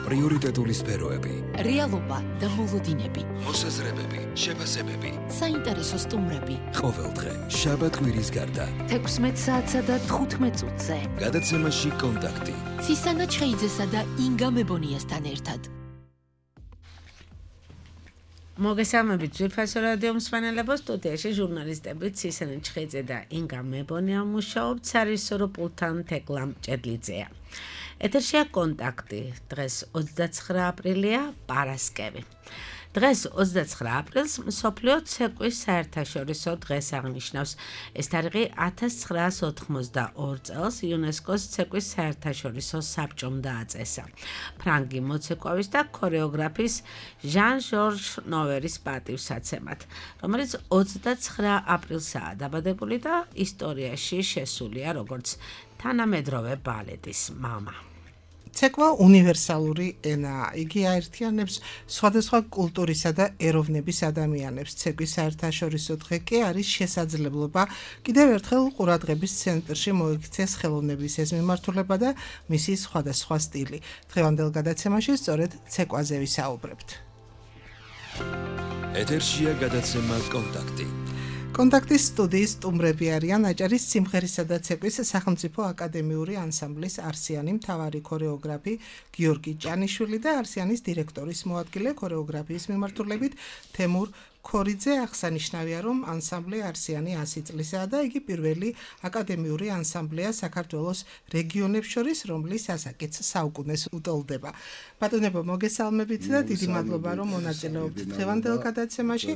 პრიორიტეტული სფეროები, რეალობა და მოლოდინები, მოსაზრებები, შეფასებები, საინტერესო სტუმრები. ყოველდღე შაბათ-კვირის გარდა 16 საათსა და 15 წუთზე. გადაცემაში კონტაქტი. ცისანა ჩხეიძესა და ინგა მებონიასთან ერთად. მოგესალმებით ძვირფასო რადიო მსმენელებო, სტუდიაში ჟურნალისტები ცისანა ჩხეიძე და ინგა მებონია მუშაობთ, სარისორო პულტთან თეკლა მჭედლიძეა. ეთერშია კონტაქტი. დღეს 29 აპრილია, პარასკევი. დღეს 29 აპრილს მსოფლიო ცეკვის საერთაშორისო დღეს აღნიშნავს. ეს თარიღი 1982 წელს იუნესკოს ცეკვის საერთაშორისო საბჭომ დააწესა. ფრანგი მოცეკვავის და ქორეოგრაფის ჟან-ჟორჟ ნოვერის პატივსაცემად, რომელიც 29 აპრილსაა დაბადებული და ისტორიაში შესულია როგორც თანამედროვე ბალეტის მამა. ცეკვა უნივერსალური ენაა. იგი აერთიანებს სხვადასხვა კულტურისა და ეროვნების ადამიანებს. ცეკვის საერთაშორისო დღე კი არის შესაძლებლობა კიდევ ერთხელ ყურადღების ცენტრში მოიქცეს ხელოვნების ეს მიმართულება და მისი სხვადასხვა სტილი. დღევანდელ გადაცემაში სწორედ ცეკვაზე ვისაუბრებთ. ეთერშია გადაცემა კონტაქტი. კონტაქტის სტუდიის სტუმრები არიან აჭარის სიმღერისა და ცეკვის სახელმწიფო აკადემიური ანსამბლის არსიანი მთავარი ქორეოგრაფი გიორგი ჭანიშვილი და არსიანის დირექტორის მოადგილე ქორეოგრაფიის მიმართულებით თემურ ქორიძე. აღსანიშნავია, რომ ანსამბლი არსიანი 100 წლისაა და იგი პირველი აკადემიური ანსამბლია საქართველოს რეგიონებს შორის, რომლის ასაკიც საუკუნეს უტოლდება. ბატონებო, მოგესალმებით და დიდი მადლობა, რომ მონაწილეობთ დღევანდელ გადაცემაში.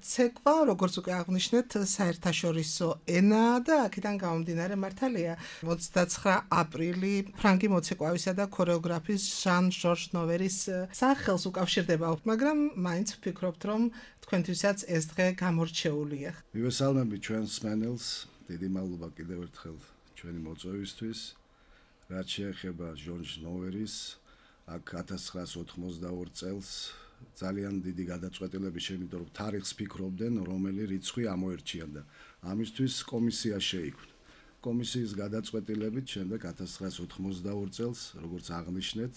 ცეკვა, როგორც უკვე აღნიშნეთ, საერთაშორისო ენაა და აქედან გამომდინარე მართალია 29 აპრილი ფრანგი მოცეკვავისა და ქორეოგრაფის ჟან-ჟორჟ ნოვერის სახელს უკავშირდება, მაგრამ მაინც ვფიქრობთ, რომ თქვენთვისაც ეს დღე გამორჩეულია. მივესალმები ჩვენს მსმენელს, დიდი მადლობა კიდევ ერთხელ ჩვენი მოწვევისთვის. რაც შეეხება ჟორჟ ნოვერის, აქ 1982 წელს ძალიან დიდი გადაწყვეტილების შემიძლია, რომ თარიღს ფიქრობდნენ, რომელი რიცხვი ამოერჩიათ და ამისთვის კომისია შეიქმნა. კომისიის გადაწყვეტილებით შემდეგ 1982 წელს, როგორც აღნიშნეთ,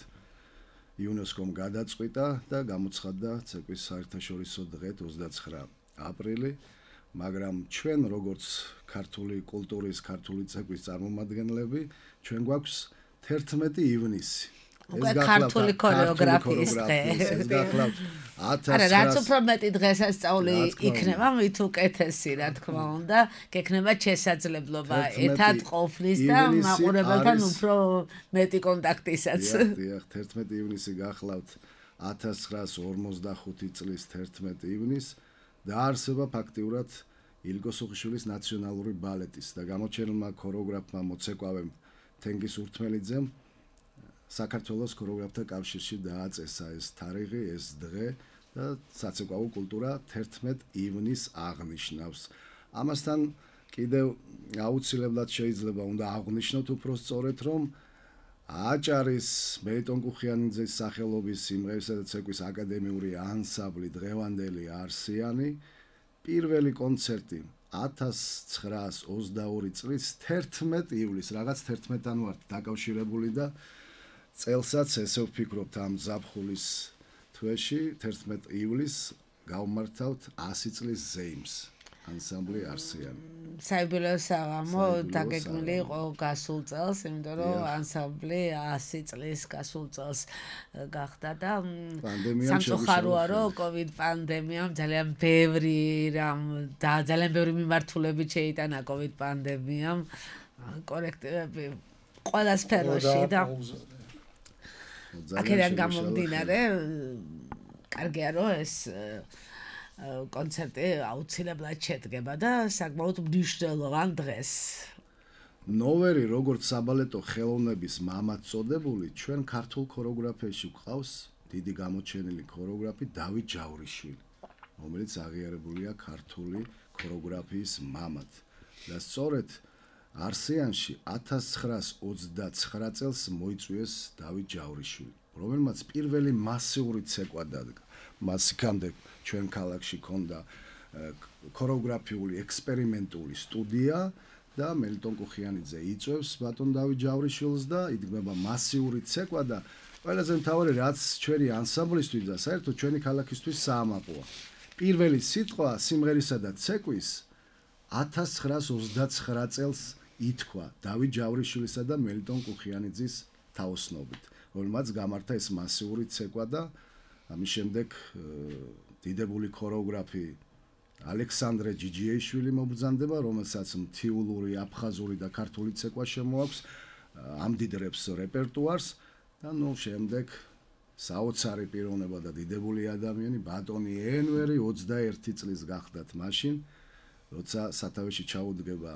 იუნესკომ გადაწყვიტა და გამოცხადდა ცეკვის საერთაშორისო დღე 29 აპრილი, მაგრამ ჩვენ როგორც ქართული კულტურის, ქართული ცეკვის წარმომადგენლები, ჩვენ გვაქვს 11 ივნისი. ქართული ქორეოგრაფიის დღე. არა, რაც უფრო მეტი დღესასწაული იქნება, მით უკეთესი, რა თქმა უნდა, გექნება შესაძლებლობა ერთად ყოფნის და მაყურებელთან უფრო მეტი კონტაქტისაც. დიახ, 11 ივნისი გახლავთ 1955 წლის 11 ივნისს დაარსება ფაქტიურად ილგო სუხიშვილის ნაციონალური ბალეტის და გამოჩენილმა ქორეოგრაფმა მოცეკვავემ თენგიზ ურთმელიძემ საქართველოს ქორეოგრაფთა კავშირში დააწესა ეს თარიღი, ეს დღე და საცეკვაო კულტურა 11 ივნისს აღნიშნავს. ამასთან კიდევ აუცილებლად შეიძლება უნდა აღვნიშნოთ უფრო სწორედ, რომ აჭარის მელიტონ კუხიანიძის სახელობის სიმღერისა და ცეკვის აკადემიური ანსამბლი დღევანდელი არსიანი პირველი კონცერტი 1922 წლის 11 ივლისს, რაღაც 11-დან ვართ დაკავშირებული და წელსაც ესე ვფიქრობთ ამ ზაფხულის თვეში 11 ივლისს გავმართავთ 100 წლის ზეიმს ანსამბლი არსიანი. საიუბილეო საღამო დაგეგმილი იყო გასულ წელს, იმიტომ რომ ანსამბლი 100 წლის გასულ წელს გახდა და სამწუხაროა, რომ COVID პანდემიამ ძალიან ბევრი მიმართულებით შეიტანა COVID პანდემიამ კოლექტივები ყველა სფეროში და აქედან გამომდინარე, კარგია რომ ეს კონცერტი აუცილებლად შედგება და საკმაოდ მნიშვნელოვან დღეს. ნოვერი, როგორც საბალეტო ხელოვნების მამად წოდებული, ჩვენ ქართულ ქორეოგრაფიაში გვყავს დიდი გამოჩენილი ქორეოგრაფი დავით ჯავრიშვილი, რომელიც აღიარებულია ქართული ქორეოგრაფიის მამად. და სწორედ არსიანში 1929 წელს მოიწვიეს დავით ჯავრიშვილი, რომელმაც პირველი მასიური ცეკვა დადგა. მას იქამდე ჩვენ ქალაქში ქონდა ქორეოგრაფიული ექსპერიმენტული სტუდია და მელიტონ კუხიანიძე იწვევს ბატონ დავით ჯავრიშვილს და იდგმება მასიური ცეკვა და ყველაზე მთავარი რაც ჩვენი ანსამბლისთვის და საერთოდ ჩვენი ქალაქისთვის საამაყოა. პირველი სიტყვა სიმღერისა და ცეკვის 1929 წელს ითქვა დავით ჯავრიშვილისა და მელიტონ კუხიანიძის თაოსნობით, რომელმაც გამართა ეს მასიური ცეკვა და ამის შემდეგ დიდებული ქორეოგრაფი ალექსანდრე ჯიჯიეიშვილი მობრძანდება, რომელსაც მთიულური, აფხაზური და ქართული ცეკვა შემოაქვს, ამდიდრებს რეპერტუარს და შემდეგ საოცარი პიროვნება და დიდებული ადამიანი ბატონი ენვერი 21 წლის გახდათ მაშინ, როცა სათავეში ჩაუდგება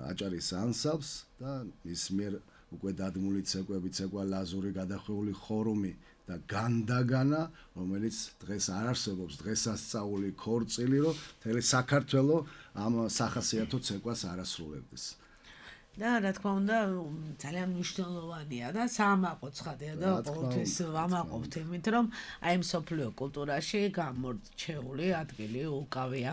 აჭარის ანსამბლს და ის მიერ უკვე დადგმული ცეკვები, ცეკვა ლაზური, გადახვეული ხორუმი და განდაგანა, რომელიც დღეს არ არსებობს, დღესასწაული ქორწილი, რომ მთელი საქართველო ამ სახასიათო ცეკვას არასრულებდეს. და რა თქმა უნდა ძალიან მნიშვნელოვანია და საამაყო ცხადია და ყოველთვის ვამაყობთ იმით, რომ აი მსოფლიო კულტურაში გამორჩეული ადგილი უკავია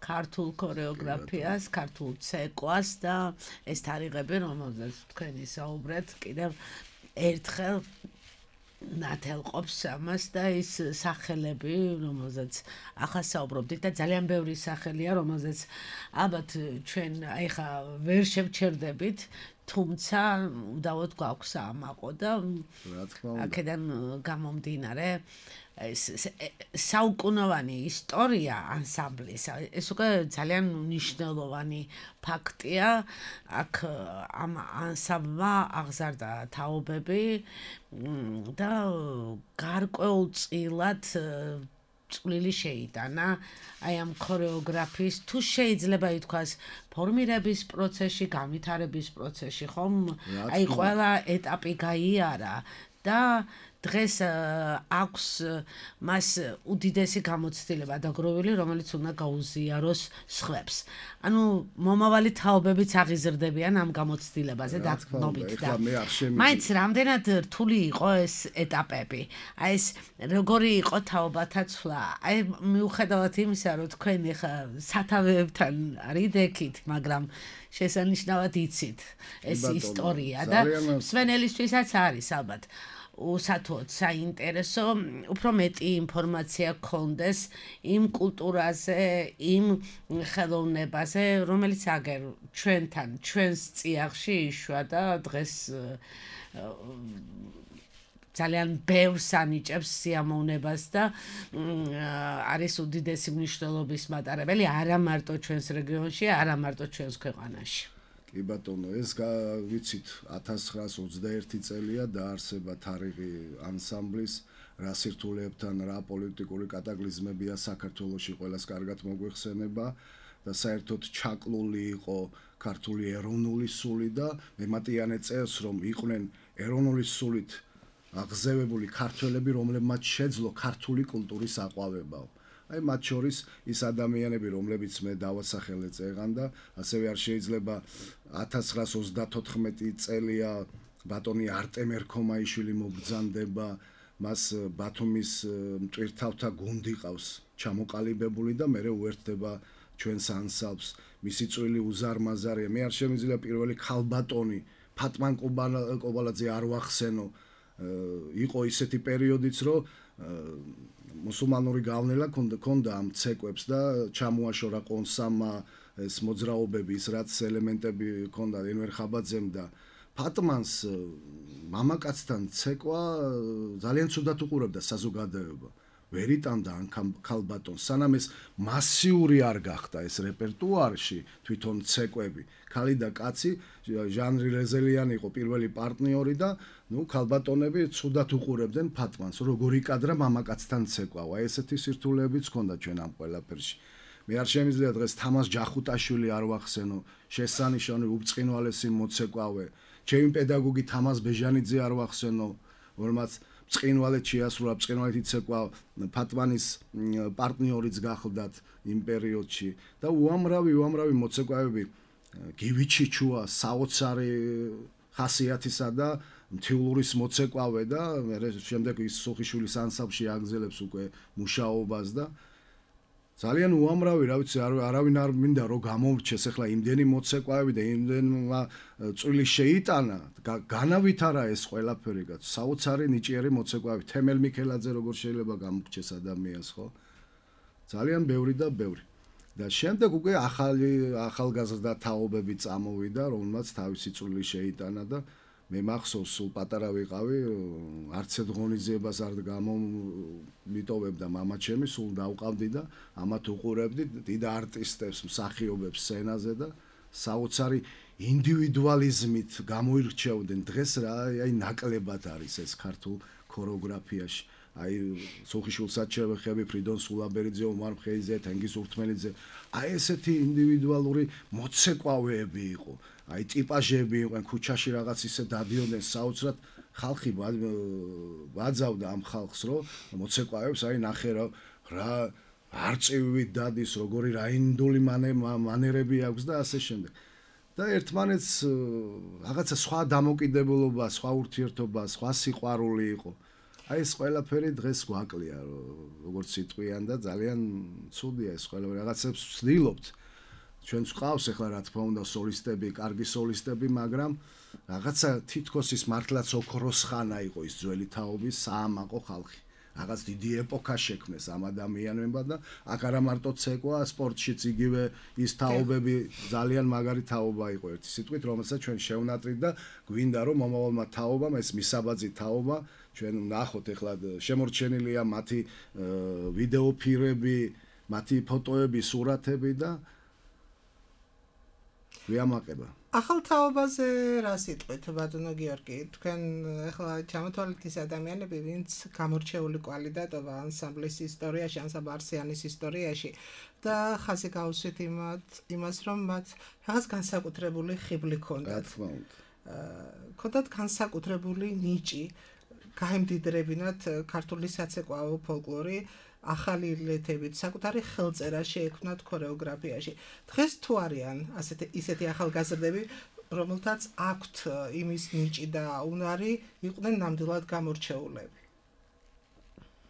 ქართულ ქორეოგრაფიას, ქართულ ცეკვას და ეს თარიღები, რომელზეც თქვენი საუბრეთ, კიდევ ერთხელ ნათელყოფს ამას და ის სახელები, რომელზეც ახლა საუბრობდით და ძალიან ბევრი სახელია, რომელზეც ალბათ ჩვენ ეხა ვერ შევჩერდებით, თუმცა უდავოდ გვაქვს საამაყო და აქედან გამომდინარე ეს საუკუნოვანი ისტორია ანსამბლის, ეს უკვე ძალიან მნიშვნელოვანი ფაქტია. აქ ამ ანსამბლმა აღზარდა თაობები და გარკვეულწილად წვლილი შეიტანა აი ამ ქორეოგრაფიის, თუ შეიძლება ითქვას, ფორმირების პროცესში, განვითარების პროცესში, ხომ? აი ყველა ეტაპი გაიარა და დღეს აქვს მას უდიდესი გამოცდილება დაგროვილი, რომელიც უნდა გაუზიაროს სხვებს. ანუ მომავალი თაობებიც აღიზრდებიან ამ გამოცდილებაზე დათმობით და მაინც რამდენად რთული იყო ეს ეტაპები. აი ეს როგორი იყო თაობათა ცვლა. აი მიუხედავად იმისა, რომ თქვენ ახლა სათავეებთან არიდექით, მაგრამ შესანიშნავად იცით ეს ისტორია და სვენელისთვისაც არის ალბათ. უსათოდ საინტერესო, უფრო მეტი ინფორმაცია გქონდეს იმ კულტურაზე, იმ ხელოვნებაზე, რომელიც აგერ ჩვენთან, ჩვენს წიაღში იშვა და დღეს ძალიან ბევრს ანიჭებს სიამოვნებას და არის უდიდესი მნიშვნელობის მატარებელი არა მარტო ჩვენს რეგიონში, არა მარტო ჩვენს ქვეყანაში. კი ბატონო, ეს ვიცით 1921 წელია დაარსება თარიღი ანსამბლის, რა სირთულეებთან, რა პოლიტიკური კატაკლიზმებია საქართველოში ყველას კარგად მოგვიხსენება და საერთოდ ჩაკლული იყო ქართული ეროვნული სული და მემატიანე წერს, რომ იყვნენ ეროვნული სულით აღზევებული ქართველები, რომლებმაც შეძლო ქართული კულტურის აყვავებაო. აი მათ შორის ის ადამიანები, რომლებიც მე დავასახელე წეგან და ასევე არ შეიძლება 1934 წელია ბატონი არტემ ერქომაიშვილი მობრძანდება, მას ბათუმის მტვირთავთა გუნდი ყავს ჩამოყალიბებული და მე უერთდება ჩვენს ანსამბლს. მისი წვლილი უზარმაზარია. მე არ შემიძლია პირველი ქალბატონი ფატმან კობალაძე არ ვახსენო. იყო ისეთი პერიოდიც, რომ მუსულმანური გავნება ქონდა ამ ცეკვებს და ჩამოაშორა ყონსამა ეს მოძრაობები, ის რაც ელემენტები ქონდა ენვერ ხაბაძემ და ფატმანს მამაკაცთან ცეკვა ძალიან ცუდად უყურებდა საზოგადოება. ვერ იტანდა ან ქალბატონს, სანამ ეს მასიური არ გახდა ეს რეპერტუარში თვითონ ცეკვები. ქალი და კაცი, ჟანრი რეზელიანი იყო პირველი პარტნიორი და ქალბატონები ცუდად უყურებდნენ ფატმანს, როგორი კადრა მამაკაცთან ცეკვავა. ესეთი სირთულეებიც ჰქონდა ჩვენ ამ ყველაფერში. მე არ შემიძლია დღეს თამას ჯახუტაშვილი არ ვახსენო, შესანიშნავი უბწყინვალესი მოცეკვავე. ჩემი პედაგოგი თამას ბეჟანიძე არ ვახსენო, რომელმაც ბწყინვალეთ შეასრულა, ბწყინვალეთ იცეკვა ფატმანის პარტნიორიც გახლდათ იმ პერიოდში და უამრავი მოცეკვავები გივიჩიჩუა საოცარი ხასიათისა და მთიულურის მოცეკვავე და მე შემდეგ ის სუხიშვილის ანსამბლში აგზელებს უკვე მუშაობას და ძალიან უამრავი, რა ვიცი, არავინ არ მინდა რომ გამომრჩეს ახლა იმდენი მოცეკვავები და იმდენმა წვილი შეიტანა, განავითარა ეს ყველაფერი, საოცარი ნიჭიერი მოცეკვავები, თემელ მიქელაძე როგორ შეიძლება გამორჩეს ადამიანს, ხო? ძალიან ბევრი და ბევრი. და შემდეგ უკვე ახალგაზრდა თაობები წამოვიდა, რომელმაც თავისი წვლილი შეიტანა და მე მახსოვს სულ პატარა ვიყავი, არც ერთ ღონისძიებას არ გამომიტოვებდა მამაჩემი, სულ დავყავდი და ამათ უყურებდი დიდ არტისტებს, მსახიობებს სცენაზე და საოცარი ინდივიდუალიზმით გამოირჩეოდნენ. დღეს რა, აი ნაკლებად არის ეს ქართულ ქორეოგრაფიაში. აი სულხიშვილსაჩევეხები, ფრიდონ სულაბერიძე, ომარ მხეიძე, თენგიზ ურთმელიძე, აი ესეთი ინდივიდუალური მოცეკვავეები იყო. აი ტიპაჟები იყვნენ, ქუჩაში რაღაც ისე დადიოდნენ საოცრად, ხალხი ვაძავდა ამ ხალხს, რომ მოცეკვავებს აი ნახე რა არწივით დადის, როგორი რაინდული მანერები აქვს და ასე შემდეგ. და ერთმანეთს რაღაცა სხვა დამოკიდებულობა, სხვა ურთიერთობა, სხვა სიყვარული იყო. აი ეს ყველაფერი დღეს გვაკლია, როგორც სიტყვიან და ძალიან ცუდია ეს ყველაფერი. რაღაცებს ვცდილობთ. ჩვენც ყავს ახლა რა თქმა უნდა სოლისტები, კარგი სოლისტები, მაგრამ რაღაცა თითქოს ის მართლაც ოქროს ხანა იყო ის ძველი თაობის საამაყო ხალხი. რაღაც დიდი ეპოქა შექმნეს ამ ადამიანებმა და აქ არა მარტო ცეკვა, სპორტშიც იგივე ის თაობები ძალიან მაგარი თაობა იყო ერთი სიტყვით, რომელსაც ჩვენ შევნატრით და გვინდა რომ მომავალმა თაობამ ეს მისაბაძი თაობა ჩვენ ნახოთ ახლა შემორჩენილია მათი ვიდეო ფირები, მათი ფოტოები, სურათები და ვიამაყება. ახალ თაობაზე რა სიტყვით, ბატონო გიორგი, თქვენ ახლა ჩამოთვალეთ ის ადამიანები, ვინც გამორჩეული კვალი დატოვა ანსამბლის ისტორიაში, ანსამბლ არსიანის ისტორიაში და ხაზი გავუსვით იმას, რომ მათ რაღაც განსაკუთრებული ხიბლი ჰქონდათ. ჰქონდათ განსაკუთრებული ნიჭი, გაემდიდრებინათ ქართული საცეკვაო ფოლკლორი, ახალი ლეთებით, საკუთარი ხელწერა შეექმნათ ქორეოგრაფიაში. დღეს თუ არიან ისეთი ახალგაზრდები, რომელთაც აქვთ იმის ნიჭი და უნარი, იყვნენ ნამდვილად გამორჩეულები.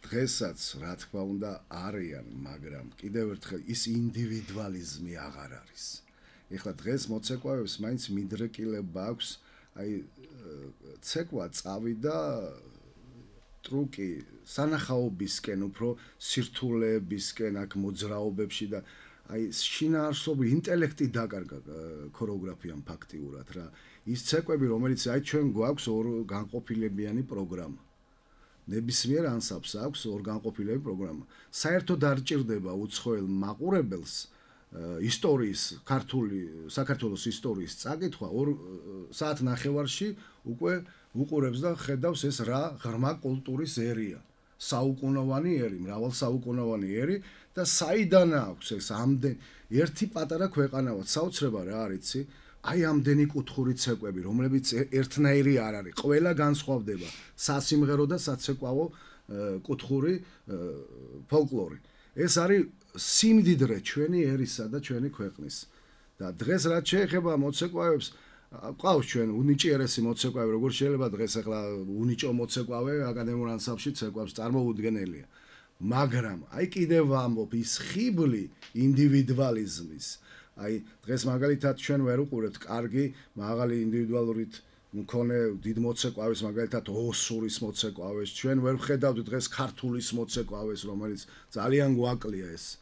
დღესაც რა თქმა უნდა არიან, მაგრამ კიდევ ერთხელ ის ინდივიდუალიზმი აღარ არის. ეხლა დღეს მოცეკვავებს მაინც მიდრეკილება აქვს, აი ცეკვა წავიდა ტრუკი სანახაობისკენ, უფრო სირთულეებისკენ, აქ მოძრაობებში და აი შინაარსობრივი ინტელექტი დაკარგა ქორეოგრაფიამ ფაქტიურად რა. ის ცეკვები, რომელიც აი ჩვენ გვაქვს ორ განყოფილებიანი პროგრამა. ნებისმიერ ანსამბლს აქვს ორ განყოფილებული პროგრამა. საერთოდ არ ჭირდება უცხოელ მაყურებელს ისტორიის, საქართველოს ისტორიის წაკითხვა 2 საათ ნახევარში უკვე უყურებს და ხედავს ეს რა ღრმა კულტურის ერია. საუკუნოვანი ერი, მრავალსაუკუნოვანი ერი და საიდან აქვს ეს ამდენ ერთი პატარა ქვეყანავა, საოცრება რა არიცი, აი ამდენი კუთხური ცეკვები, რომლებიც ერთნაირი არ არის, ყველა განსხვავდება, სასიმღერო და საცეკვაო კუთხური ფოლკლორი. ეს არის სიმდიდრე ჩვენი ერისა და ჩვენი ქვეყნის. და დღეს რაც შეეხება მოცეკვავებს, ყავს ჩვენ უნიჭიერესი მოცეკვავი, როგორ შეიძლება დღეს ახლა უნიჭო მოცეკვავე აკადემიურ ანსამბლში ცეკვავს წარმოუდგენელია. მაგრამ აი კიდევ ვამბობ, ის ხიბლი ინდივიდუალიზმის, აი დღეს მაგალითად ჩვენ ვერ უყურებთ კარგი მაღალი ინდივიდუალურით მქონე დიდ მოცეკვავის, მაგალითად ოსურის მოცეკვავეს, ჩვენ ვერ ვხედავთ დღეს ქართულის მოცეკვავეს, რომელიც ძალიან გვაკლია ეს.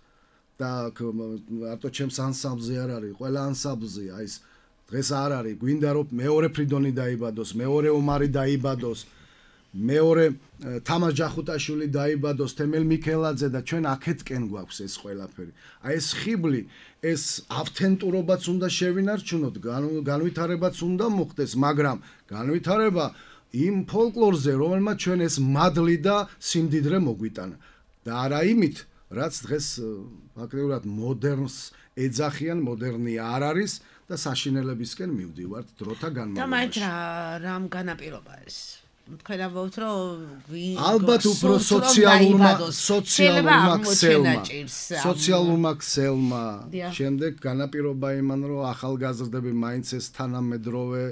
და მარტო ჩემს ანსამბლზე არ არის, ყველა ანსამბლზეა ის დღეს არ არის, გვინდა რომ მეორე ფრიდონი დაიბადოს, მეორე ომარი დაიბადოს, მეორე თამარ ჯახუტაშვილი დაიბადოს, თემელ მიქელაძე და ჩვენ აქეთკენ გვაქვს ეს ყველაფერი. აი ეს ხიბლი, ეს ავთენტურობაც უნდა შევინარჩუნოთ, განვითარებაც უნდა მოხდეს, მაგრამ განვითარება იმ ფოლკლორზე, რომელმაც ჩვენ ეს მადლი და სიმდიდრე მოგვიტანა. და არა იმით, რაც დღეს ფაქტიურად მოდერნს ეძახიან, მოდერნი არ არის და საშინელებისკენ მივდივართ დროთა განმავლობაში. და მაინც რამ განაპირობა ეს? თქვენ ამბობთ, რომ ალბათ უფრო სოციალურმა ქსელმა შემდეგ განაპირობა იმან, რომ ახალგაზრდები მაინც ეს თანამედროვე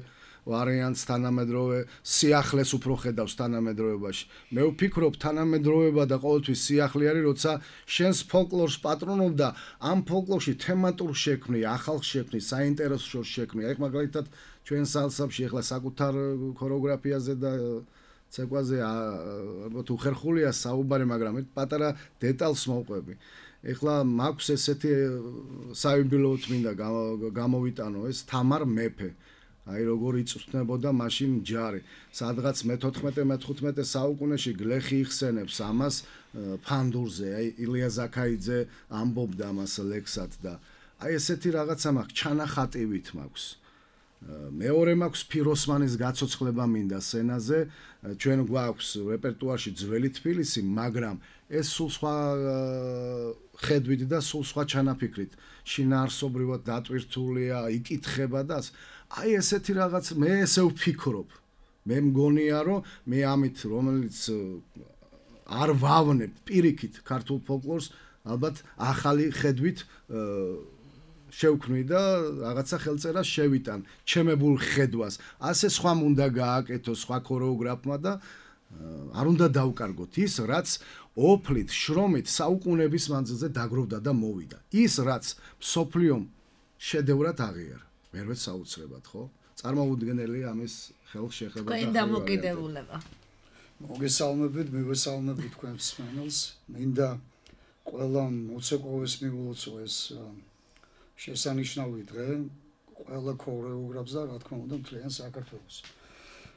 ვარიანტს თანამედროვე სიახლეს უფრო ხედავს თანამედროვეობაში. მე ვფიქრობ თანამედროვეობა და ყოველთვის სიახლე არის, როცა შენს ფოლკლორს პატრონობ და ამ ფოლკლორში თემატურ შექმნი, ახალ შექმნი, საინტერესო შექმნი. აი მაგალითად ჩვენ სალსაბში ახლა საკუთარ ქორეოგრაფიაზე და ცეკვაზე ალბათ უხერხულია საუბარი, მაგრამ პატარა დეტალს მოვყვები. ეხლა მაქვს ესეთი საიუბილეოდ მინდა გამოვიტანო ეს თამარ მეფე. აი როგორ იწვთნებოდა მაშინ ჯარი. სადღაც მე-14-მე-15 საუკუნეში გლეხი იხსენებს ამას ფანდურზე. აი ილია ზაქაიძე ამბობდა ამას ლექსად და აი ესეთი რაღაცა მაქვს, ჩანახატივით მაქვს. მეორე მაქვს ფიროსმანის გაცოცხლება მინდა სცენაზე. ჩვენ გვაქვს რეპერტუარში ძველი თბილისი, მაგრამ ეს სულ სხვა ხედვით და სულ სხვა ჩანაფიქრით შინაარსობრივად დატვირთულია, იკითხება და აი ესეთი რაღაც მე ესე ვფიქრობ. მე მგონია რომ მე ამით რომელიც არ ვავნებ პირიქით ქართულ ფოლკლორს, ალბათ ახალი ხედვით შევქმნი და რაღაცა ხელწერას შევიტან ჩემებულ ხედვას. ასე სხვამ უნდა გააკეთო სხვა ქორეოგრაფმა და არ უნდა დავკარგოთ ის, რაც ოფლით, შრომით საუკუნეების მანძილზე დაგროვდა და მოვიდა. ის, რაც მსოფლიომ შედევრად აღიარა. მერვე საოცრებად, ხო? წარმოუდგენელია ამის ხელშეხება და თქვენ დამოკიდებულება. მოგესალმებით, მივესალმებით თქვენ მსმენელს. მინდა ყველა მოცეკვავის მიულოცო ეს შესანიშნავი დღე ყველა ქორეოგრაფს და რა თქმა უნდა მთლიან საქართველოს.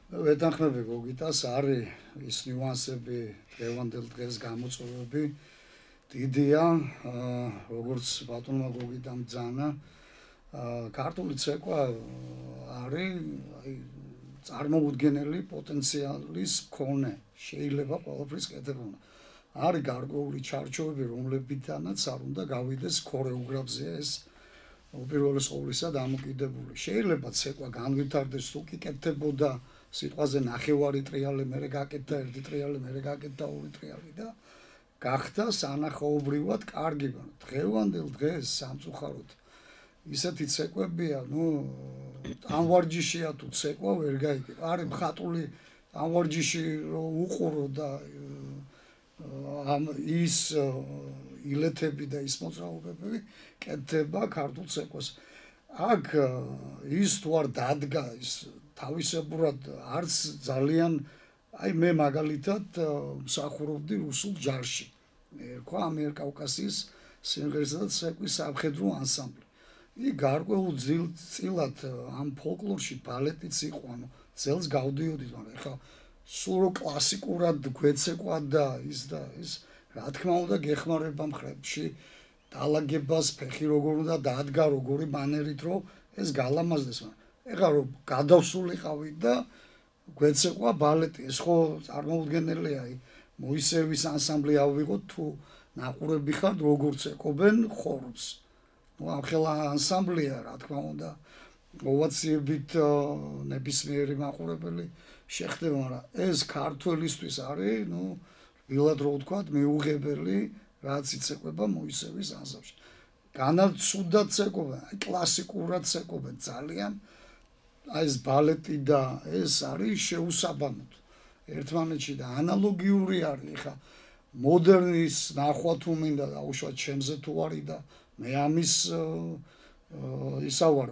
ვეთანხმები გოგიტას, არის ის ნიუანსები დღევანდელ დღეს გამოწვევები დიდია, როგორც ბატონმა გოგიტამ ძანა. ქართული ცეკვა არის აი წარმოუდგენელი პოტენციალის მქონე, შეიძლება ყველაფრის კეთება. არის გარკვეული ჩარჩოები, რომლებითანაც არ უნდა გავიდეს ქორეოგრაფზე ეს უპირველეს ყოვლისა დამოკიდებული. შეიძლება ცეკვა განვითარდეს თუ კი კეთდებოდა სიტყვაზე ნახევარი ტრიალი, მერე გაკეთდა ერთი ტრიალი, მერე გაკეთდა ორი ტრიალი და გახდა სანახაობრივად კარგი. დღევანდელ დღეს სამწუხაროდ ისეთი ცეკვებია, ტანვარჯიშია თუ ცეკვა ვერ გაიგებ. არის მხატული ტანვარჯიში რო უყურო და ამ ის ილეთები და ის მოძრაობები კეთდება ქართულ ცეკვას. აქ ის თუ არ დადგა ის თავისებურად არც ძალიან აი მე მაგალითად მსახურობდი რუსულ ჯარში. ერქვა ამიერკავკასიის სიმღერისა და ცეკვის სამხედრო ანსამბლი. იქ გარკვეულ წილად ამ ფოლკლორში ბალეტიც იყო, ძელს გავდიოდით, მაგრამ ეხლა სულ კლასიკურად გვეცეკვა და ის რა თქმა უნდა გეხმარება მხრებში დალაგებას ფეხი როგორ უნდა დადგა როგორი მანერით რომ ეს გალამაზდეს. ეხლა რომ გადავსულიყავით და გვეცეკვა ბალეტი, ეს ხო წარმოუდგენელია. მოისევის ანსამბლი ავიღოთ თუ ნაყურები ხართ როგორ ცეკობენ ხორბს. ამ ხელა ანსამბლია რა თქმა უნდა მოვაციებით ნებისმიერი მაყურებელი შეხდება, მაგრამ ეს ქართველისთვის არის, ვილად რო ვთქვათ, მიუღებელი რაც იცეკვება მოისევის ანსამბლში. განაცუდად ცეკობენ, კლასიკურად ცეკობენ ძალიან. აი ეს ბალეტი და ეს არის შეუსაბამოდ ერთმანეთში და ანალოგიური არის. ხა მოდერნის ნახვა თუ მინდა დაუშვათ ჩემზე თუ არის და მე ამის ისავარ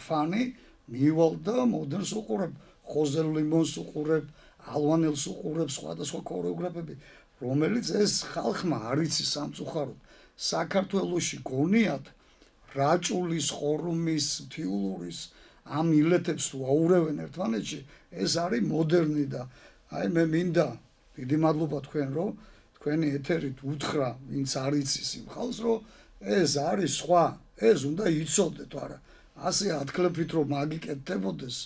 ფანი მივალ და მოდერნს უყურებ, ხოზე ლიმონს უყურებ, ალვანელს უყურებ, სხვადასხვა ქორეოგრაფები, რომელიც ეს ხალხმა არ იცი სამწუხაროდ საქართველოში გონიათ რაჭულის, ხორუმის, მთიულურის ამ ილეთებს თუ აურევენ ერთმანეთში, ეს არის მოდერნი და აი მე მინდა დიდი მადლობა თქვენ რომ თქვენი ეთერით უთხრა ვინც არ იცის იმ ხალხს რომ ეს არის სხვა, ეს უნდა იცოდეთ, არა ასე ათქლებით რომ მაგიკეთდებოდეს,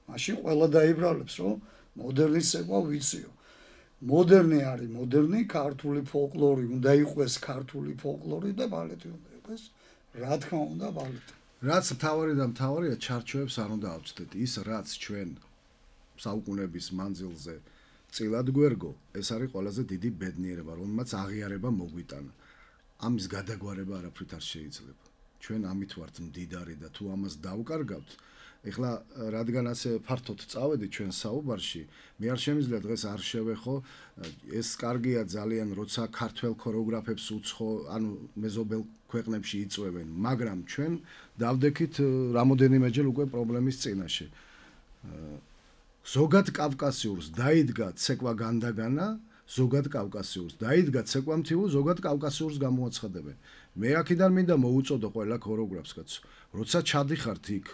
მაშინ ყველა დაიბრალებს რომ მოდერნის ცეკვა ვიციო. მოდერნი არის მოდერნი, ქართული ფოლკლორი უნდა იყოს ქართული ფოლკლორი და ბალეტი უნდა იყოს, რა თქმა უნდა ბალეტი. რაც მთავარი და მთავარია ჩარჩოებს არ უნდა ავწდეთ. ის რაც ჩვენ საუკუნეების მანძილზე წილად გვერგო, ეს არის ყველაზე დიდი ბედნიერება, რომელმაც აღიარება მოგვიტანა. ამის გადაგვარება არაფრით არ შეიძლება. ჩვენ ამით ვართ მდიდარი და თუ ამას დავკარგავთ, ეხლა რადგან ასე ფართოდ წავედი ჩვენ საუბარში, მე არ შემიძლია დღეს არ შევეხო, ეს კარგია ძალიან, როცა ქართველ ქორეოგრაფებს უცხო, ანუ მეზობელ ქვეყნებში იწვევენ, მაგრამ ჩვენ დავდექით რამოდენიმეჯერ უკვე პრობლემის წინაშე. ზოგად კავკასიურს დაიდგა ცეკვა განდაგანა, ზოგად კავკასიურს დაიდგა ცეკვა მთიულს, ზოგად კავკასიურს გამოაცხადებენ. მე აქედან მინდა მოუწოდო ყველა ქორეოგრაფს კაცო, როცა ჩადიხართ იქ,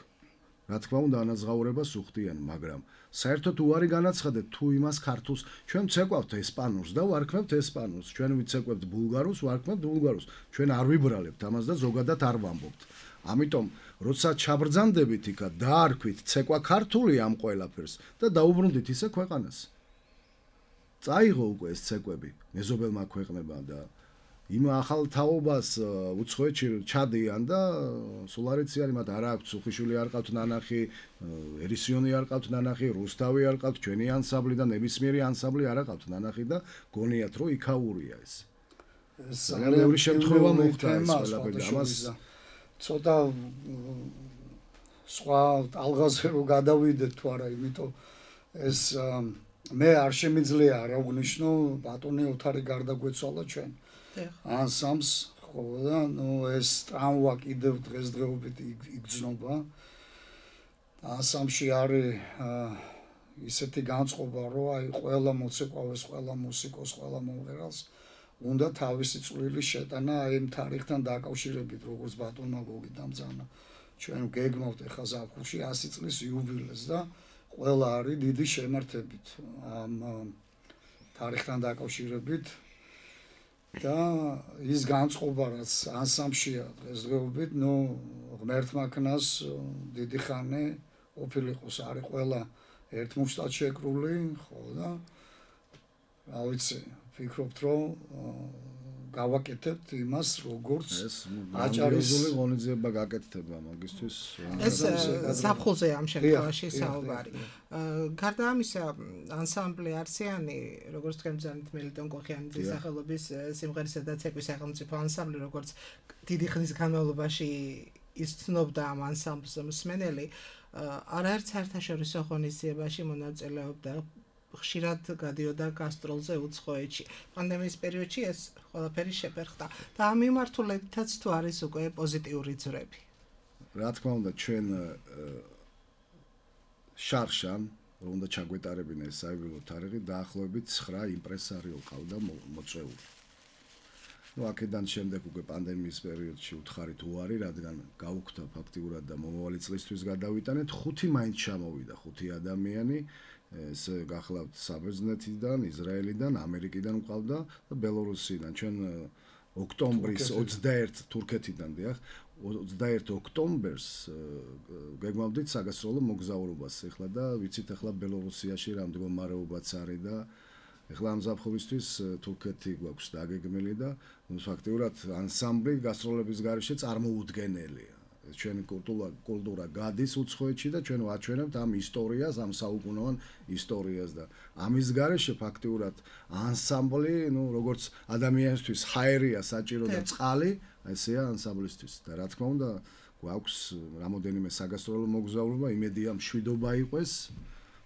რა თქმა უნდა ანაზღაურებას უხდიან, მაგრამ საერთოდ უარი განაცხადეთ თუ იმას ქართულს, ჩვენ ცეკვავთ ესპანურს და ვარქმევთ ესპანურს, ჩვენ ვიცეკვებთ ბულგარულს, ვარქმევთ ბულგარულს, ჩვენ არ ვიბრალებთ ამას და ზოგადად არ ვამბობთ. ამიტომ როცა ჩაბრძანდებით იქა დაარქვით ცეკვა ქართული ამ ყველაფერს და დაუბრუნდით ისე ქვეყანას. წაიღო უკვე ეს ცეკვები მეზობელმა ქვეყნებმა და იმ ახალ თაობას უცხოეთში ჩადიან და სულ არ იციან მათ არ აქვს უხიშვილი არ ყავთ ნანახი, ერისიონი არ ყავთ ნანახი, რუსთავი არ ყავთ, ჩვენი ანსამბლი და ნებისმიერი ანსამბლი არ ყავთ ნანახი და გონიათ რომ იქაურია ეს. ძალიან ბევრი შემთხვევა მოხდა ეს ყველაფერი ამას ცოტა სხვა ალღაზე რომ გადავიდეთ თუ არა, იმიტომ ეს მე არ შემიძლია არ აღნიშნო ბატონი ოთარი გარდაგვეცვალა ჩვენ ანსამს ხო და ეს ტრამვა კიდევ დღესდღეობით იგრძნობა ანსამში არის ისეთი განწყობა რომ აი ყველა მოცეკვავეს, ყველა მუსიკოს, ყველა მომღერალს უნდა თავისი წვლილი შეტანა აი იმ თარიღთან დაკავშირებით, როგორც ბატონმა გოგიდამძანა. ჩვენ გეგმავთ ახლა ზაფხულში 100 წლის იუბილეს და ყველა არის დიდი შემართებით ამ თარიღთან დაკავშირებით და ის განწყობა რაც ანსამბლშია დღესდღეობით, ღმერთმა ქნას დიდი ხანი ყოფილიყოს, არის ყველა ერთმუშტად შეკრული, ხო და რა ვიცი ვფიქრობთ რომ გავაკეთებთ იმას როგორც აჭარისული ღონისძიება გაკეთდება მაგისთვის ეს ზაფხულზე ამ შემთხვევაში საუბარი. გარდა ამისა ანსამბლი არსიანი როგორც თქვენ ბრძანეთ მელიტონ კოხიანიძის სახელობის სიმღერისა და ცეკვის სახელმწიფო ანსამბლი როგორც დიდი ხნის განმავლობაში ის ცნობდა ამ ანსამბლს მსმენელი არაერთ საერთაშორისო ღონისძიებაში მონაწილეობდა ხშირად გადიოდა გასტროლზე უცხოეთში. პანდემიის პერიოდში ეს ყველაფერი შეფერხდა და ამ მიმართულებითაც თუ არის უკვე პოზიტიური ძვრები. რა თქმა უნდა, ჩვენ შარშან რომ უნდა ჩაგვეტარებინა ეს საიუბილეო თარიღი, დაახლოებით 9 იმპრესარიო ყავდა მოწვეული. აქედან შემდეგ უკვე პანდემიის პერიოდში უთხარით უარი, რადგან გაუქმდა ფაქტიურად და მომავალი წლისთვის გადავიტანეთ, 5 მაინც ჩამოვიდა, 5 ადამიანი ეს გახლავთ საბერძნეთიდან, ისრაელიდან, ამერიკიდან ყავდა და ბელორუსიდან. ჩვენ ოქტომბრის 21 თურქეთიდან დიახ, 21 ოქტომბერს გეგმავდით საგასტროლო მოგზაურობას ახლა და ვიცით ახლა ბელორუსიაში რა მდგომარეობაც არის და ახლა ამ ზაფხულისთვის თურქეთი გვაქვს დაგეგმილი და ფაქტიურად ანსამბლი გასტროლების გარეშე წარმოუდგენელია. ჩვენი კულტურა გადის უცხოეთში და ჩვენ ვაჩვენებთ ამ ისტორიას, ამ საუკუნოვან ისტორიას და ამის გარეშე ფაქტიურად ანსამბლი, როგორც ადამიანისთვის ჰაერია საჭირო და წყალი, ესეა ანსამბლისთვის და რა თქმა უნდა, გვაქვს რამოდენიმე საგასტროლო მოგზაურობა, იმედია მშვიდობა იყოს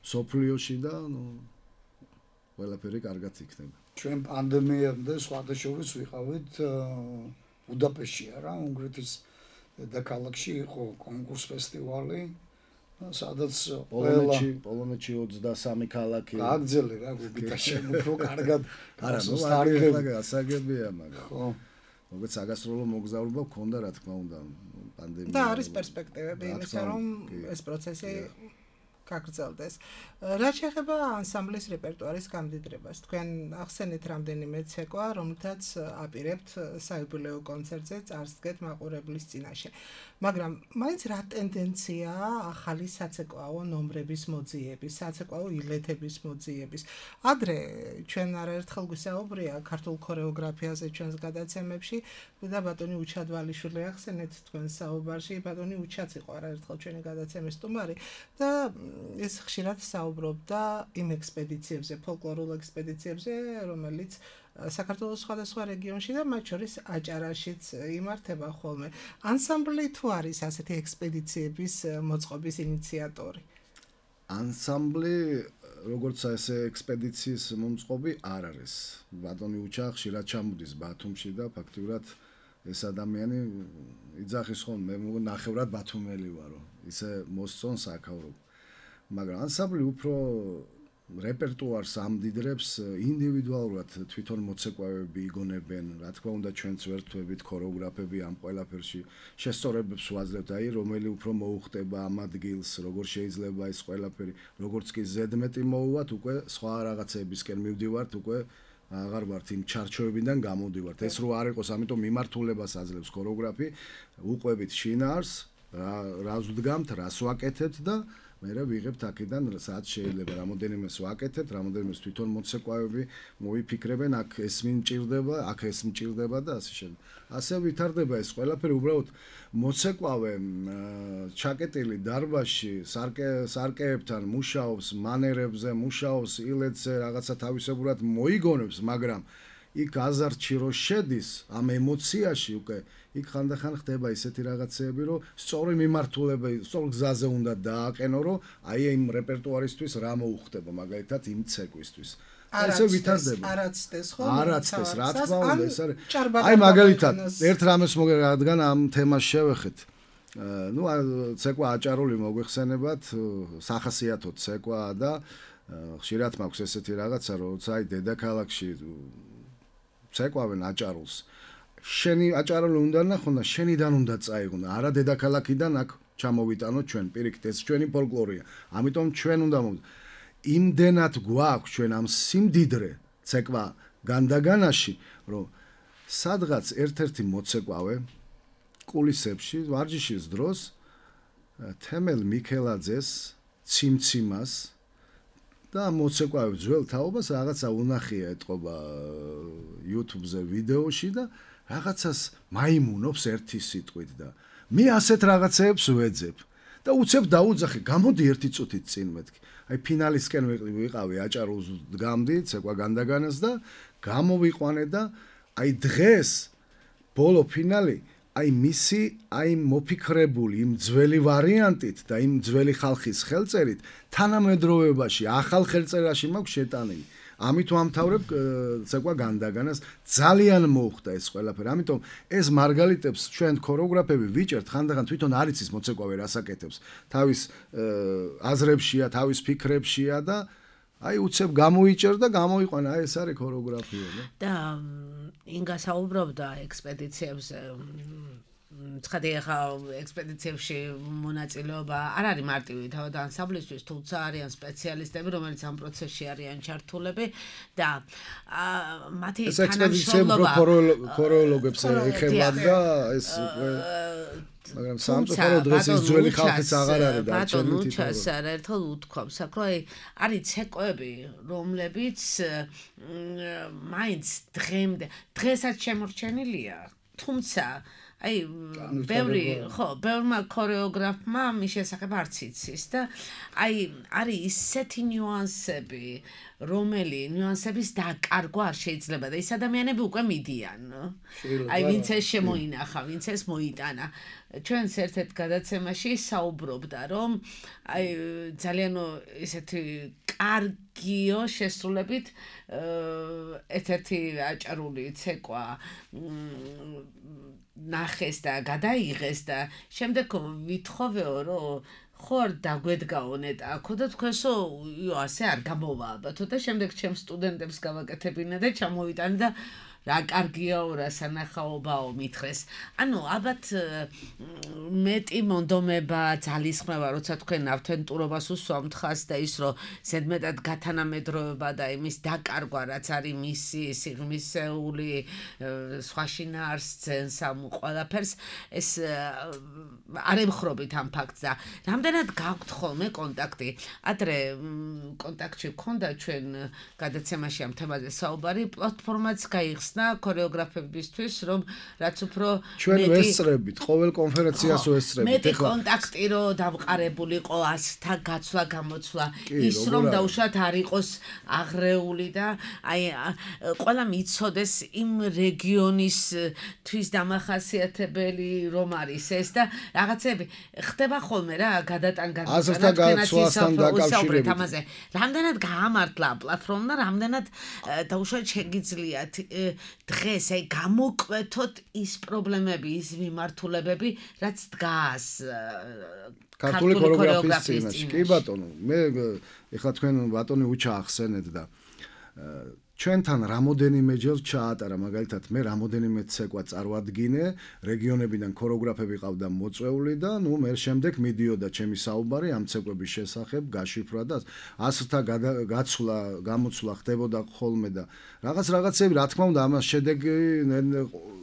სოფლიოში და ყველაფერი კარგად იქნება. ჩვენ პანდემიამდე სხვადასხვა ვიყავით ბუდაპეშტში რა, უნგრეთის დედაქალაქში იყო კონკურს ფესტივალი, სადაც პოლონეთში 23 ქალაქი გაგძელე რა გუბიტაში უფრო კარგად არა თარიღები ასაგებია მაგრამ ხო როგორც საგასტროლო მოგზაურობა გქონდა რა თქმა უნდა პანდემია და არის პერსპექტივები იმისა რომ ეს პროცესი გაგრძელდეს. რაც შეეხება ანსამბლის რეპერტუარის გამდიდრებას, თქვენ ახსენეთ რამდენიმე ცეკვა, რომელთაც აპირებთ საიუბილეო კონცერტზე წარსდგეთ მაყურებლის წინაშე. მაგრამ მაინც რა ტენდენციაა ახალი საცეკვაო ნომრების მოძიების, საცეკვაო ილეთების მოძიების. ადრე ჩვენ არაერთხელ გვისაუბრია ქართულ ქორეოგრაფიაზე ჩვენს გადაცემებში და ბატონი უჩადვალიშვილი ახსენეთ თქვენ საუბარში, ბატონი უჩაც იყო არაერთხელ ჩვენი გადაცემის სტუმარი და ეს ხშირად საუბრობდა იმ ექსპედიციებზე, ფოლკლორულ ექსპედიციებზე, რომელიც საქართველოს სხვადასხვა რეგიონში და მათ შორის აჭარაშიც იმართება ხოლმე. ანსამბლი თუ არის ასეთი ექსპედიციების მოწყობის ინიციატორი? ანსამბლი როგორც ესე ექსპედიციის მომწყობი არ არის. ბატონი უჩა ხშირად ჩამოდის ბათუმში და ფაქტურად ეს ადამიანი იძახის ხოლმე მე ნახევრად ბათუმელი ვარო. ისე მოსწონს აქავრობ. მაგრამ ანსამბლი უფრო რეპერტუარს ამდიდრებს ინდივიდუალურად თვითონ მოცეკვავები იგონებენ, რა თქმა უნდა ჩვენც ვერთვებით ქორეოგრაფები ამ ყველაფერში შესწორებებს ვაძლევთ, აი რომელი უფრო მოუხდება ამ ადგილს, როგორ შეიძლება ეს ყველაფერი, როგორც კი ზედმეტი მოუვათ, უკვე სხვა რაღაცებისკენ მივდივართ, უკვე აღარ ვართ იმ ჩარჩოებიდან გამოდივართ. ეს რო არ იყოს, ამიტომ მიმართულებას აძლევს ქორეოგრაფი, უყვებით შინაარს, რას ვდგამთ, რას ვაკეთებთ და მე ვიღებთ აქედან სადაც შეიძლება რამოდენიმეს ვაკეთებთ, რამოდენიმეს თვითონ მოცეკვავები მოიფიქრებენ, აქ ეს მიმჭირდება, აქ ეს მჭირდება და ასე შემდეგ. ასე ვითარდება ეს ყველაფერი, უბრალოდ მოცეკვავე ჩაკეტილი დარბაზში სარკეებთან მუშაობს, მანერებზე მუშაობს, ილეთზე რაღაცა თავისებურად მოიგონებს, მაგრამ იქ აზარტში რო შედის ამ ემოციაში უკვე იქ ხანდახან ხდება ისეთი რაღაცეები, რომ სწორი მიმართულება, სწორ გზაზე უნდა დააყენო, რომ აი იმ რეპერტუარისთვის რა მოუხდება, მაგალითად იმ ცეკვისთვის. ესე ვითარდება. არაცდეს ხო? არაცდეს, რა თქმა უნდა, ეს არის. აი მაგალითად, ერთ რამეს რადგან ამ თემას შევეხეთ. ნუ ცეკვა აჭარული მოგვეხსენებათ, სახასიათო ცეკვაა და ხშირად მაქვს ესეთი რაღაცა, როცა აი დედაქალაქში ცეკვავენ აჭარულს. შენი აჭარული უნდა ნახონ და შენიდან უნდა წაიღონ, არა დედაქალაქიდან აქ ჩამოვიტანოთ ჩვენ, პირიქით ეს ჩვენი ფოლკლორია. ამიტომ ჩვენ უნდა იმდენად გვაქვს ჩვენ ამ სიმდიდრე ცეკვა განდაგანაში, რომ სადღაც ერთ-ერთი მოცეკვავე კულისებში, ვარჯიშის დროს თემელ მიქელაძეს ციმციმას და მოცეკვავე ძველ თაობას რაღაცა უნახია ეთყობა YouTube-ზე ვიდეოში და რაღაცას მაიმუნობს ერთი სიტყვით და მე ასეთ რაღაცეებს ვეძებ და უცებ დაუძახი, გამოდი ერთი წუთით წინ მეთქი. აი ფინალისკენ ვიყავი აჭარულს დგამდი ცეკვა განდაგანას და გამოვიყვანე და აი დღეს ბოლო ფინალი აი მისი აი მოფიქრებული იმ ძველი ვარიანტით და იმ ძველი ხალხის ხელწერით თანამედროვეობაში ახალ ხელწერაში მაქვს შეტანილი. ამით ვამთავრებ ცეკვა განდაგანას, ძალიან მოუხდა ეს ყველაფერი. ამიტომ ეს მარგალიტებს ჩვენ ქორეოგრაფები ვიჭერთ, ხანდახან თვითონ არ იცის მოცეკვავე რას აკეთებს. თავის აზრებშია, თავის ფიქრებშია და აი უცებ გამოიჭერ და გამოიყვანა, აი ეს არის ქორეოგრაფია. და ინგა საუბრობდა ექსპედიციებზე. ცხადი ახლა ექსპედიციებში მონაწილეობა არ არის მარტივი თავად ანსამბლისთვის, თუმცა არიან სპეციალისტები, რომელიც ამ პროცესში არიან ჩართულები და მათი თანამშრომლობა ქორეოლოგებს ეხება და ეს მაგრამ სამწუხაროდ დღეს ის ძველი ხალხიც აღარ არის და ბატონო ჩას არაერთხელ უთქვამს, აქ რომ არის ცეკვები, რომლებიც მაინც დღესაც შემორჩენილია, თუმცა აი ბევრმა ქორეოგრაფმა მის შესახებ არც იცის და აი არის ისეთი ნიუანსები, ნიუანსების დაკარგვა არ შეიძლება და ეს ადამიანები უკვე მიდიან. აი ვინც ეს შემოინახა, ვინც ეს მოიტანა. ჩვენს ერთ-ერთ გადაცემაში საუბრობდა, რომ აი ძალიან ესეთი კარგიო შესრულებით ერთ-ერთი აჭარული ცეკვა ნახეს და გადაიღეს და შემდეგ ვითხოვეო, რომ ხوار დაგვედგაო ნეტაკო და თქვენსო ასე არ გამოვააბათო და შემდეგ ჩემს სტუდენტებს გავაკეთებინა და ჩამოვიტანე და რა კარგიაო, რა სანახაობაო მითხრეს. ანუ ალბათ მეტი მონდომება, ძალისხმევა, როცა თქვენ ავთენტურობას უსვამთ ხას და ის რომ ზედმეტად გათანამედროვება და იმის დაკარგვა, რაც არის მისი სიღრმისეული სხვა შინაარს ძენს ამ ყველაფერს, ეს არ ემხრობით ამ ფაქტს და რამდენად გაქვთ ხოლმე კონტაქტი. ადრე კონტაქტში გქონდა ჩვენ გადაცემაში ამ თემაზე საუბარი, პლატფორმაც გაიხსნა გახსნა ქორეოგრაფებისთვის, რომ რაც უფრო ჩვენ ვესწრებით, ყოველ კონფერენციას ვესწრებით. მეტი კონტაქტი რო დამყარებულიყო ასთა გაცვლა გამოცვლა, ის რომ დაუშვათ არ იყოს აღრეული და აი ყველა მიცოდეს იმ რეგიონის თვის დამახასიათებელი რომ არის ეს და რაღაცები ხდება ხოლმე რა გადატან დაკავშირებით ამაზე. რამდენად გაამართლა პლატფორმა, რამდენად დაუშვათ შეგიძლიათ დღეს აი გამოკვეთოთ ის პრობლემები, ის მიმართულებები, რაც დგას ქართული ქორეოგრაფიის წინაშე. კი ბატონო, მე ეხლა თქვენ ბატონი უჩა ახსენეთ და ჩვენთან რამოდენიმეჯერ ჩაატარა, მაგალითად მე რამოდენიმე ცეკვა წარვადგინე, რეგიონებიდან ქორეოგრაფები ყავდა მოწვეული და ნუ მე შემდეგ მიდიოდა ჩემი საუბარი ამ ცეკვების შესახებ, გაშიფრვა და ასთა გაცვლა, გამოცვლა ხდებოდა ხოლმე და რაღაცები, რა თქმა უნდა, ამას შედეგი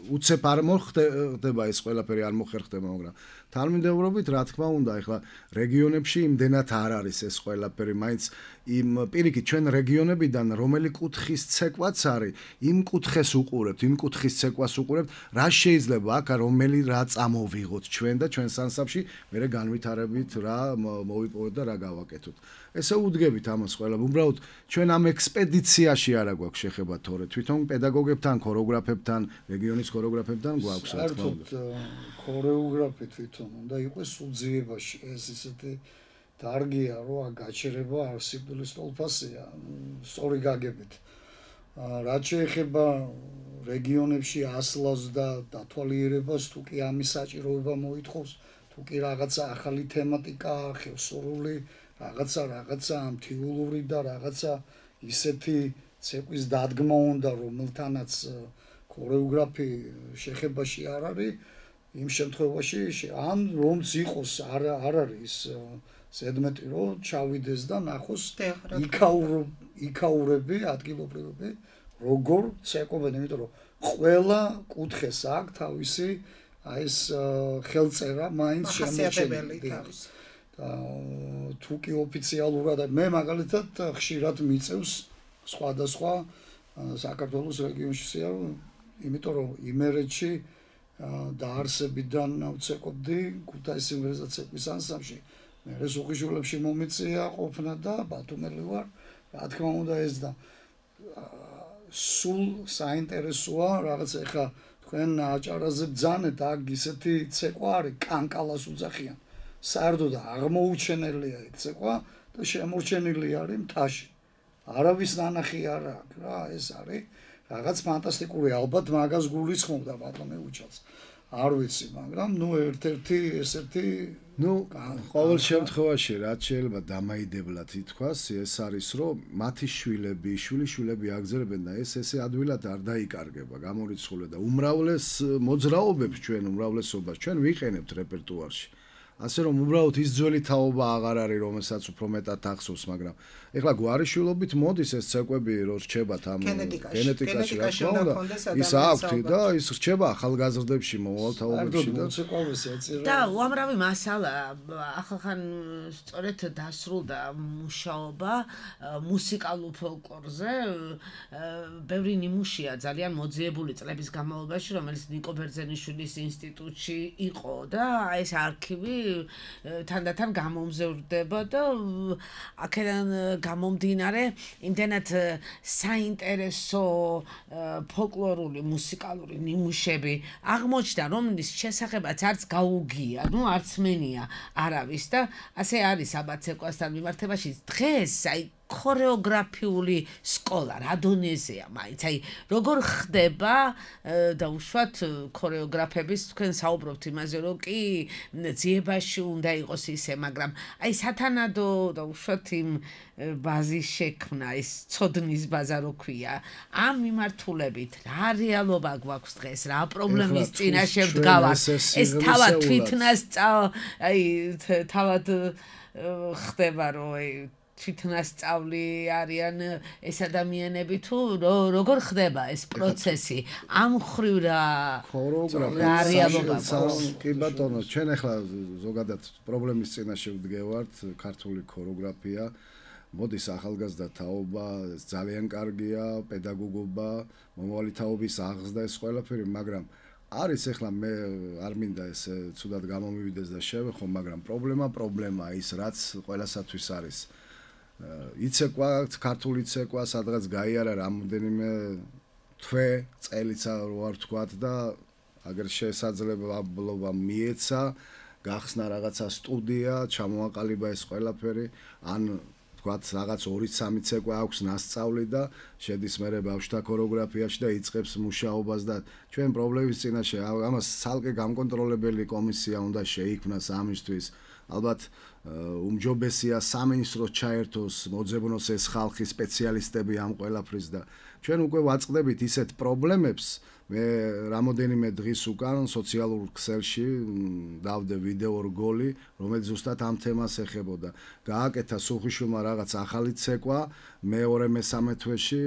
უცებ არ მოხდება ეს ყველაფერი არ მოხერხდება, მაგრამ თანმიმდევრობით რა თქმა უნდა, ეხლა რეგიონებში იმდენად არ არის ეს ყველაფერი, მაინც იმ პირიქით ჩვენ რეგიონებიდან რომელი კუთხის ცეკვაც არის, იმ კუთხეს უყურებთ, იმ კუთხის ცეკვას უყურებთ, რა შეიძლება აქ რომელი რა წამოვიღოთ ჩვენ და ჩვენს ანსამბლში, მერე განვითარებით რა მოვიპოვოთ და რა გავაკეთოთ. ესე უდგებით ამას ყველა. უბრალოდ ჩვენ ამ ექსპედიციაში არა გვაქვს შეხება თორე თვითონ პედაგოგებთან, ქორეოგრაფებთან, რეგიონის ქორეოგრაფებთან გვაქვს რა თქმა უნდა. ქორეოგრაფი თვითონ უნდა იყოს უძიებაში. ეს ისეთი დარგია, რომ გაჩერება არსებული სტოლფასია, სწორი გაგებით. რაც შეეხება რეგიონებში ასლას და დათვალიერებას, თუ კი ამის საჭიროება მოითხოვს, თუ კი რაღაცა ახალი თემატიკა ახევს, სრული რაღაცა ამთიულური და რაღაცა ისეთი ცეკვის დადგმა უნდა, რომელთანაც ქორეოგრაფი შეხებაში არ არის, იმ შემთხვევაში ან რომც იყოს არ არის ზედმეტი რომ ჩავიდეს და ნახოს იქაურები ადგილობრივები როგორ ცეკვობენ, იმიტომ რომ ყველა კუთხეს აქვს თავისი აი ეს ხელწერა მაინც შემოჩენილი თავის და თუ კი ოფიციალურად მე მაგალითად ხშირად მიწევს სხვადასხვა საქართველოს რეგიონშია, იმიტომ რომ იმერეთში დაარსებიდან ვცეკვობდი ქუთაისის სიმღერისა ცეკვის ანსამბლში. მე სუხიშვილებში მომიწია ყოფნა და ბათუმელი ვარ, რა თქმა უნდა ეს და სულ საინტერესოა რაღაც ეხა თქვენ აჭარაზე ბძანეთ, აქ ისეთი ცეკვა არის, კანკალას უძახიან. საერთოდ აღმოუჩენელია ეს ცეკვა და შემორჩენილი არის მთაში. არავის ნანახი არ აქვს რა, ეს არის რაღაც ფანტასტიკური, ალბათ მაგას გულისხმობდა ბატონი უჩაც. არ ვიცი, მაგრამ ნუ ერთ-ერთი ესეთი ყოველ შემთხვევაში რაც შეიძლება დამაიდებლად ითქვას, ეს არის რომ მათი შვილები აგზერებენ და ესე ადვილად არ დაიკარგება, გამორიცხული და უმრავლეს მოძრაობებს უმრავლესობას ჩვენ ვიყენებთ რეპერტუარში. ასე რომ უბრალოდ ის ძველი თაობა აღარ არის, რომელსაც უფრო მეტად ახსოვს, მაგრამ ეხლა გვარიშვილობით მოდის ეს ცეკვები რო რჩებათ ამ გენეტიკაში რა თქმა უნდა, ის აქვს და ის რჩება ახალგაზრდებში, მოვალთაობებში და უამრავი მასალა ახალხან სწორედ დასრულდა მუშაობა მუსიკალურ ფოლკლორზე, ბევრი ნიმუშია ძალიან მოძიებული წლების განმავლობაში, რომელიც ნიკო ბერძენიშვილის ინსტიტუტში იყო და ეს არქივი თანდათან გამომზრდება და აქედან გამომდინარე იმდენად საინტერესო ფოლკლორული მუსიკალური ნიმუშები აღმოჩნდა, რომლის შესახებაც არც გაუგია, არც მენია არავის და ასე არის აბა ცეკვასთან მიმართებაში დღეს აი ქორეოგრაფიული სკოლა რა დონეზეა მაინც აი როგორ ხდება დაუშვათ ქორეოგრაფების თქვენ საუბრობთ იმაზე რომ კი ძიებაში უნდა იყოს ისე მაგრამ აი სათანადო დაუშვათ იმ ბაზის შექმნა ის ცოდნის ბაზა რო ქვია ამ მიმართულებით რა რეალობა გვაქვს დღეს რა პრობლემის წინაშე ვდგავართ ეს თავად თვითნას აი თავად ხდება რომ აი თვითნასწავლი არიან ეს ადამიანები თუ როგორ ხდება ეს პროცესი ამ ხრივ რა რეალობა კი ბატონო ჩვენ ახლა ზოგადად პრობლემის წინაშე ვდგევართ ქართული ქორეოგრაფია მოდის ახალგაზრდა თაობა, ძალიან კარგია, პედაგოგობა, მომავალი თაობის აღზრდა ეს ყველაფერი, მაგრამ არის ახლა მე არ მინდა ეს ცუდად გამომივიდეს და შევეხო, მაგრამ პრობლემა ის რაც ყველასათვის არის. იცეკვა, ქართული ცეკვა, სადღაც გაიარა რამოდენიმე თვე, წელიც არ ვთქვათ და აგერ შესაძლებლობა მიეცა, გახსნა რაღაცა სტუდია, ჩამოაყალიბა ეს ყველაფერი, ან ვთქვათ რაღაც 2-3 ცეკვა აქვს ნასწავლი და შედის მერე ბავშვთა ქორეოგრაფიაში და იწყებს მუშაობას და ჩვენ პრობლემის წინაშე ამას ცალკე გამკონტროლებელი კომისია უნდა შეიქმნას ამისთვის. ალბათ უმჯობესია სამინისტროს ჩაერთოს, მოძებნოს ეს ხალხი სპეციალისტები ამ ყველაფრის და ჩვენ უკვე ვაწყდებით ისეთ პრობლემებს. მე რამოდენიმე დღის უკან სოციალურ ქსელში დავდე ვიდეო რგოლი, რომელიც ზუსტად ამ თემას ეხებოდა. გააკეთა სუხიშვილმა რაღაც ახალი ცეკვა, მეორე-მესამე თვეში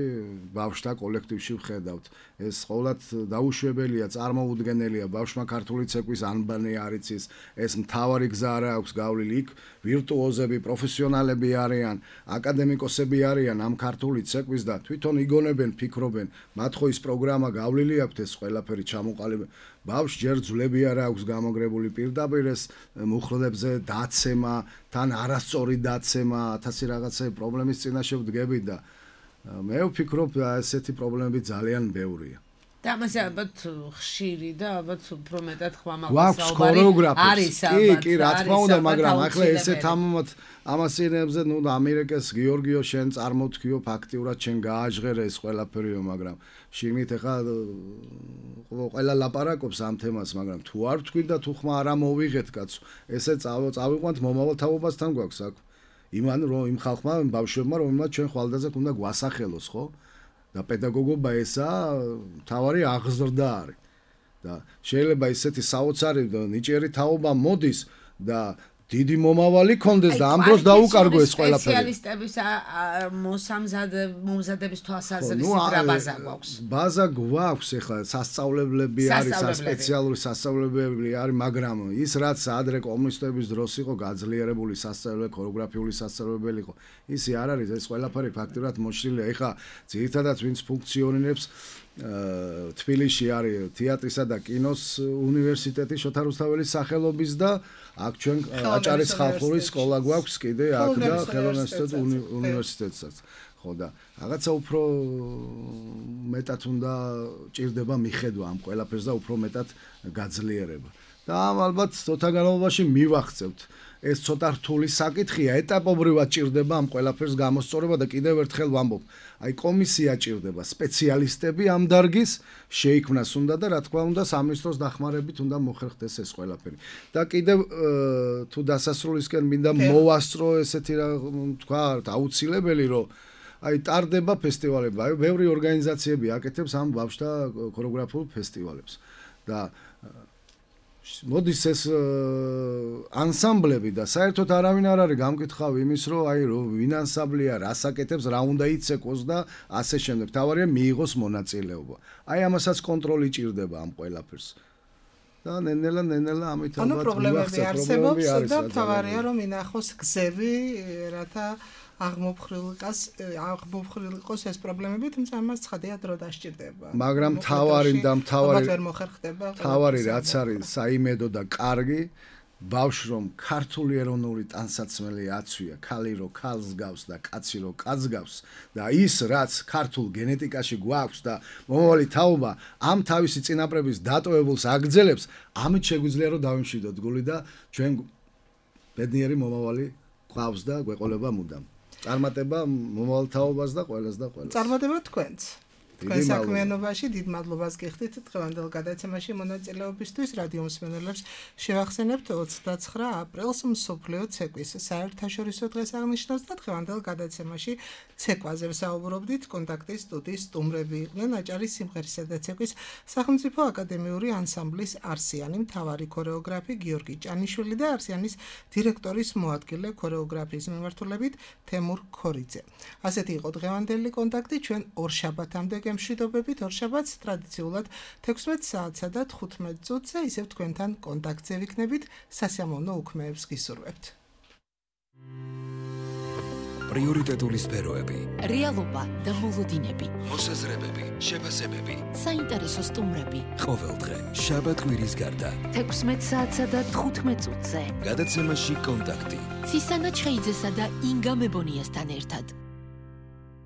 ბავშვთა კოლექტივში ვხედავთ. ეს ყოველად დაუშვებელია, წარმოუდგენელია, ბავშვმა ქართული ცეკვის ანბანი არ იცის, ეს მთავარი გზა არ აქვს გავლილი იქ, ვირტუოზები, პროფესიონალები არიან, აკადემიკოსები არიან ამ ქართული ცეკვის და თვითონ იგონებენ, ფიქრობენ, მათ ხო ის პროგრამა გავლილი აქვს ეს ყველაფერი ჩამოყალიბება. ბავშვს ჯერ ძვლები არ აქვს გამოგრებული პირდაპირ ეს მუხლებზე დაცემა, თან არასწორი დაცემა, 1000 რაღაცა პრობლემის წინაშე ვდგები და მე ვფიქრობ ესეთი პრობლემები ძალიან ბევრია. და ამაზე ალბათ ხშირი და ალბათ უფრო მეტად გვაქვს ქორეოგრაფებს. კი, რა თქმა უნდა, მაგრამ ახლა ესეთ ამასინებზე, ნუ ამერიკას გიორგიო შენ წარმოთქიო ფაქტიურად შენ გააჟღერე ეს ყველაფერიო, მაგრამ შიგნით ახლა ყველა ლაპარაკობს ამ თემას, მაგრამ თუ არ ვთქვი და თუ ხმა არ მოვიღეთ კაცო, ესე წავიყვანთ მომავალ თაობასთან გვაქვს აქ. იმან რომ იმ ხალხმა, ბავშვებმა, რომელმაც ჩვენ ხვალდაზე უნდა გვასახელოს, ხო? და პედაგოგობა ესაა მთავარი აღზრდა არის. და შეიძლება ისეთი საოცარი ნიჭიერი თაობა მოდის და დიდი მომავალი კონდეს და ამ დროს დაუკარგო ეს ყველაფერი. სპეციალისტების მომზადების თვალსაზრისით რა ბაზა გვაქვს? ბაზა გვაქვს, ეხლა სასწავლებლები არის, სპეციალური სასწავლებლები არის, მაგრამ ის რაც ადრე კომუნისტების დროს იყო გაძლიერებული სასწავლებელი, ქორეოგრაფიული სასწავლებელი იყო, ისი არ არის, ეს ყველაფერი ფაქტურად მოშლილია. ეხლა ძირითადად ვინც ფუნქციონირებს თბილისში არის თეატრისა და კინოს უნივერსიტეტი შოთა რუსთაველის სახელობის და აქ ჩვენ აჭარის ხალხური სკოლა გვაქვს კიდე აქ და ხელოვნებათა უნივერსიტეტსაც. ხო და რაღაცა უფრო მეტად უნდა ჭირდება მიხედვა ამ ყველაფერს და უფრო მეტად გაძლიერება. და ალბათ ცოტა განმავლობაში მივახცევთ. ეს ცოტა რთული საკითხია, ეტაპობრივად ჭირდება ამ ყველაფერს გამოსწორება და კიდევ ერთხელ ვამბობ, აი კომისია ჭირდება, სპეციალისტები ამ დარგის შეიქმნას უნდა და რა თქმა უნდა სამინისტროს დახმარებით უნდა მოხერხდეს ეს ყველაფერი. და კიდევ თუ დასასრულისკენ მინდა მოვასწრო ესეთი რა თქვა აუცილებელი რომ აი ტარდება ფესტივალები, აი ბევრი ორგანიზაციები აკეთებს ამ ბავშვთა ქორეოგრაფიულ ფესტივალებს და მოდის ეს ანსამბლები და საერთოდ არავინ არ არის გამკითხავი იმის რომ აი რომ ვინ ანსამბლია, რას აკეთებს, რა უნდა იცეკოს და ასე შემდეგ. თავარია მიიღოს მონაწილეობა. აი ამასაც კონტროლი ჭირდება ამ ყველაფერს. და ნენელა ამით ალბათ პრობლემები არსებობს და თავარია რომ ინახოს გზები, რათა აღმოფხრილიყოს ეს პრობლემები, თუმცა ამას ცხადია დრო დასჭირდება. მაგრამ თავარი რაც არის საიმედო და კარგი ბავშვს რომ ქართული ეროვნული ტანსაცმელი აცვია, ქალი რო ქალს გავს და კაცი რო კაცს გავს და ის რაც ქართულ გენეტიკაში გვაქვს და მომავალი თაობა ამ თავისი წინაპრების დატოვებულს აგრძელებს, ამით შეგვიძლია რომ დავიმშვიდოთ გული და ჩვენ ბედნიერი მომავალი გვყავს და გვეყოლება მუდამ. წარმატება მომავალ თაობას და ყველას და ყველას. წარმატება თქვენც. თქვენ საქმიანობაში დიდ მადლობას გიხდით დღევანდელ გადაცემაში მონაწილეობისთვის. რადიო მსმენელებს შევახსენებთ 29 აპრილს მსოფლიო ცეკვის საერთაშორისო დღეს აღნიშნავს და დღევანდელ გადაცემაში ცეკვაზე ვსაუბრობდით. კონტაქტის სტუდიის სტუმრები იყვნენ აჭარის სიმღერისა და ცეკვის სახელმწიფო აკადემიური ანსამბლის არსიანი მთავარი ქორეოგრაფი გიორგი ჭანიშვილი და არსიანის დირექტორის მოადგილე ქორეოგრაფიის მიმართულებით თემურ ქორიძე. ასეთი იყო დღევანდელი კონტაქტი. ჩვენ ორშაბათამდე გემშვიდობებით, ორშაბათს ტრადიციულად 16 საათსა და 15 წუთზე ისევ თქვენთან კონტაქტზე ვიქნებით. სასიამოვნო უქმეებს გისურვებთ. პრიორიტეტული სფეროები, რეალობა და მოლოდინები, მოსაზრებები, შეფასებები, საინტერესო სტუმრები. ყოველდღე შაბათ კვირის გარდა 16 საათსა და 15 წუთზე. გადაცემაში კონტაქტი. ცისანა ჩხეიძესა და ინგა მებონიასთან ერთად.